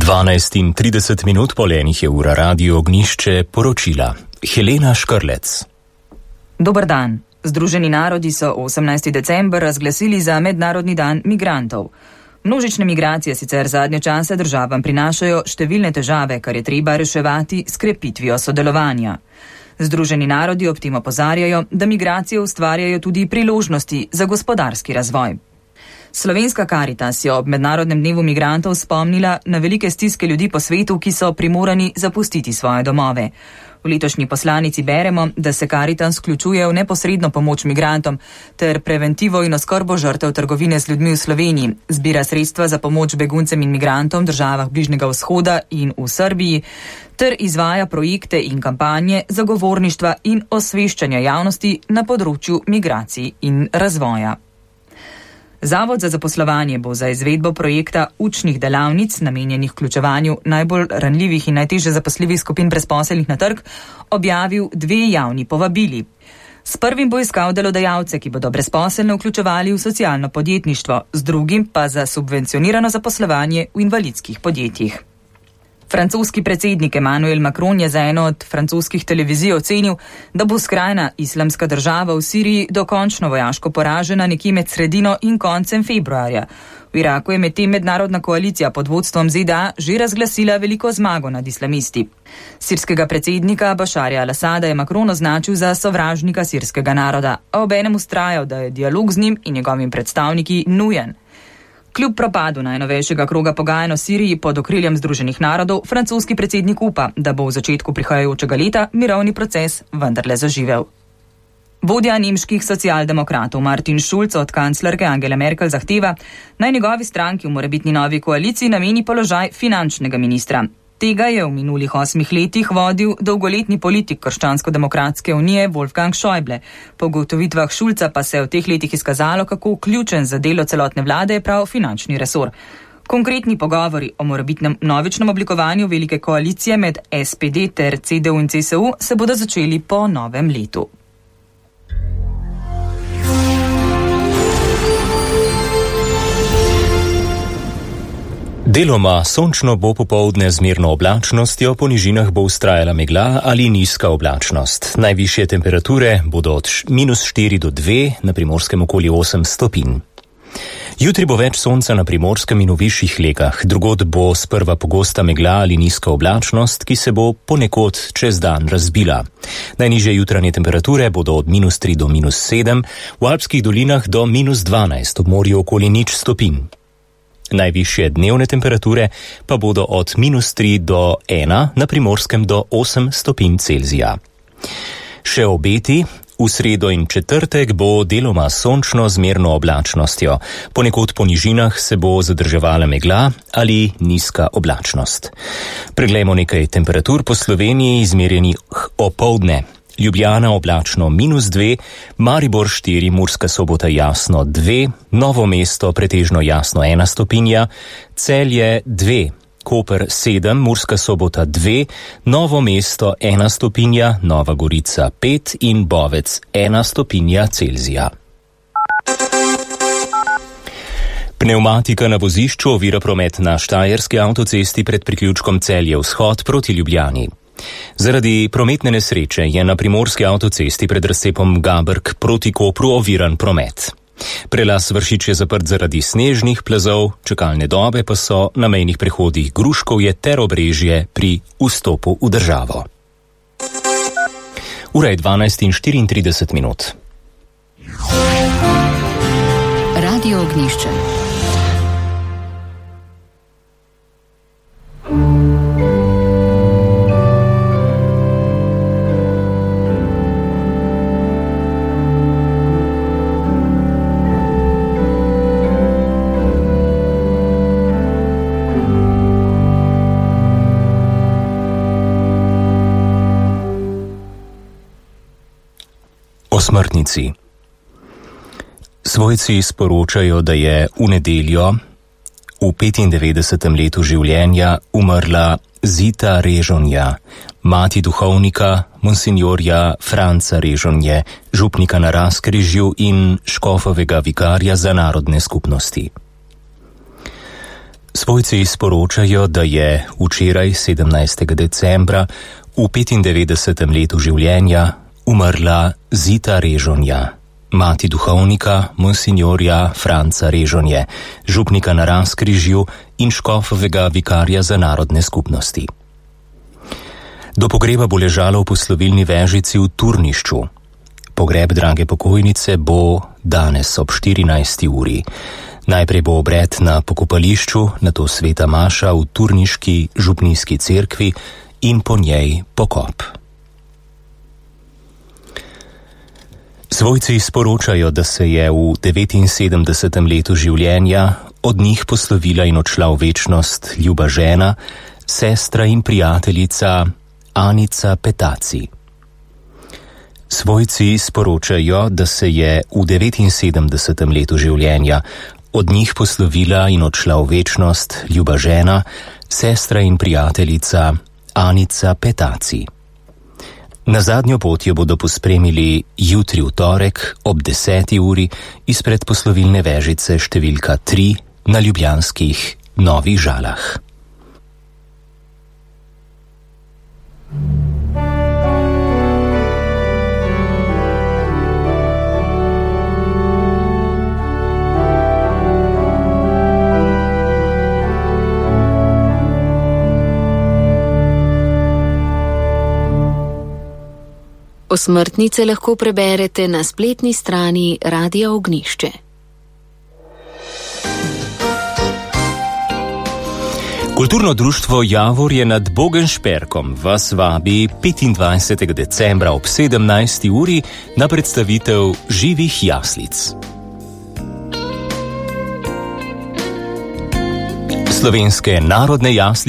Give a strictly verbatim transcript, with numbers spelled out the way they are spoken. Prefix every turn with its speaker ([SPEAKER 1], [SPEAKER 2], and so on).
[SPEAKER 1] dvanajst in trideset minut po enih je ura Radio Ognjišče poročila. Helena Škrlec.
[SPEAKER 2] Dober dan. Združeni narodi so osemnajsti december razglasili za Mednarodni dan migrantov. Množične migracije sicer zadnje čase državam prinašajo številne težave, kar je treba reševati s krepitvijo sodelovanja. Združeni narodi ob tem opozarjajo, da migracije ustvarjajo tudi priložnosti za gospodarski razvoj. Slovenska Karitas je ob Mednarodnem dnevu migrantov spomnila na velike stiske ljudi po svetu, ki so primorani zapustiti svoje domove. V letošnji poslanici beremo, da se Karitas vključuje v neposredno pomoč migrantom ter preventivo in oskrbo žrtev trgovine z ljudmi v Sloveniji, zbira sredstva za pomoč beguncem in migrantom v državah Bližnjega vzhoda in v Srbiji ter izvaja projekte in kampanje zagovorništva in osveščanja javnosti na področju migracij in razvoja. Zavod za zaposlovanje bo za izvedbo projekta učnih delavnic, namenjenih vključevanju najbolj ranljivih in najtežje zaposljivih skupin brezposelnih na trg, objavil dve javni povabili. S prvim bo iskal delodajalce, ki bodo brezposelne vključevali v socialno podjetništvo, z drugim pa za subvencionirano zaposlovanje v invalidskih podjetjih. Francoski predsednik Emmanuel Macron je za eno od francoskih televizij ocenil, da bo skrajna islamska država v Siriji dokončno vojaško poražena nekje med sredino in koncem februarja. V Iraku je medtem mednarodna koalicija pod vodstvom Z D A že razglasila veliko zmago nad islamisti. Sirskega predsednika Bašarja al-Asada je Macron označil za sovražnika sirskega naroda, a obenem vztrajal, da je dialog z njim in njegovimi predstavniki nujen. Kljub propadu najnovejšega kroga pogajanj o Siriji pod okriljem Združenih narodov, francoski predsednik upa, da bo v začetku prihajajočega leta mirovni proces vendarle zaživel. Vodja nemških socialdemokratov Martin Schulz od kanclerke Angele Merkel zahteva, naj njegovi stranki v morebitni novi koaliciji nameni položaj finančnega ministra. Tega je v minulih osmih letih vodil dolgoletni politik Krščansko-demokratske unije Wolfgang Schäuble. Po ugotovitvah Schulza pa se je v teh letih izkazalo, kako ključen za delo celotne vlade je prav finančni resor. Konkretni pogovori o morebitnem novičnem oblikovanju velike koalicije med S P D ter C D U in C S U se bodo začeli po novem letu.
[SPEAKER 1] Deloma sončno bo popoldne z mirno oblačnostjo, po nižinah bo vztrajala megla ali nizka oblačnost. Najvišje temperature bodo od minus štiri do dve, na Primorskem okoli osem stopinj. Jutri bo več sonca na Primorskem in v višjih legah, drugod bo sprva pogosta megla ali nizka oblačnost, ki se bo ponekod čez dan razbila. Najnižje jutranje temperature bodo od minus tri do minus sedem, v alpskih dolinah do minus dvanajst, ob morju okoli nič stopinj. Najvišje dnevne temperature pa bodo od minus tri do ena, na Primorskem do osem stopinj Celzija. Še obeti. V sredo in četrtek bo deloma sončno z mirno oblačnostjo. Ponekod po nižinah se bo zadrževala megla ali nizka oblačnost. Preglejmo nekaj temperatur po Sloveniji izmerjenih opoldne. Ljubljana oblačno minus dve, Maribor štiri, Murska Sobota jasno dve, Novo mesto pretežno jasno ena stopinja, Celje dve, Koper sedem, Murska Sobota dve, Novo mesto ena stopinja, Nova Gorica pet in Bovec ena stopinja Celzija. Pneumatika na vozišču ovira promet na Štajerski avtocesti pred priključkom Celje vzhod proti Ljubljani. Zaradi prometne nesreče je na Primorski avtocesti pred razcepom Gabrk proti Kopru oviran promet. Prelaz Vršič je zaprt zaradi snežnih plazov, čakalne dobe pa so na mejnih prehodih Gruškovje ter Obrežje pri vstopu v državo. Ura je dvanajst in štiriintrideset minut.
[SPEAKER 3] Radio Ognjišče.
[SPEAKER 1] Smrtnici. Svojci sporočajo, da je v nedeljo v petindevetdesetem letu življenja umrla Zita Režonja, mati duhovnika monsinjorja Franca Režonje, župnika na Razkrižju in škofovega vikarja za narodne skupnosti. Svojci sporočajo, da je včeraj, sedemnajstega decembra, v petindevetdesetem letu življenja umrla Zita Režonja, mati duhovnika monsinjorja Franca Režonje, župnika na Razkrižju in škofovega vikarja za narodne skupnosti. Do pogreba bo ležalo v poslovilni vežici v Turnišču. Pogreb drage pokojnice bo danes ob štirinajsti uri. Najprej bo obred na pokopališču, nato sveta maša v turniški župnijski cerkvi in po njej pokop. Svojci sporočajo, da se je v devetinsedemdesetem letu življenja od njih poslovila in odšla v večnost ljuba žena, sestra in prijateljica Anica Petaci. Svojci sporočajo, da se je v devetinsedemdesetem letu življenja od njih poslovila in odšla v večnost ljuba žena, sestra in prijateljica Anica Petaci. Na zadnjo pot jo bodo pospremili jutri v torek ob deseti uri izpred poslovilne vežice številka tri na ljubljanskih Novih Žalah.
[SPEAKER 3] Osmrtnice lahko preberete na spletni strani Radia Ognjišče.
[SPEAKER 1] Kulturno društvo Javorje nad Bogenšperkom vas vabi petindvajsetega decembra ob sedemnajsti uri na predstavitev živih jaslic. Slovenske narodne jaslice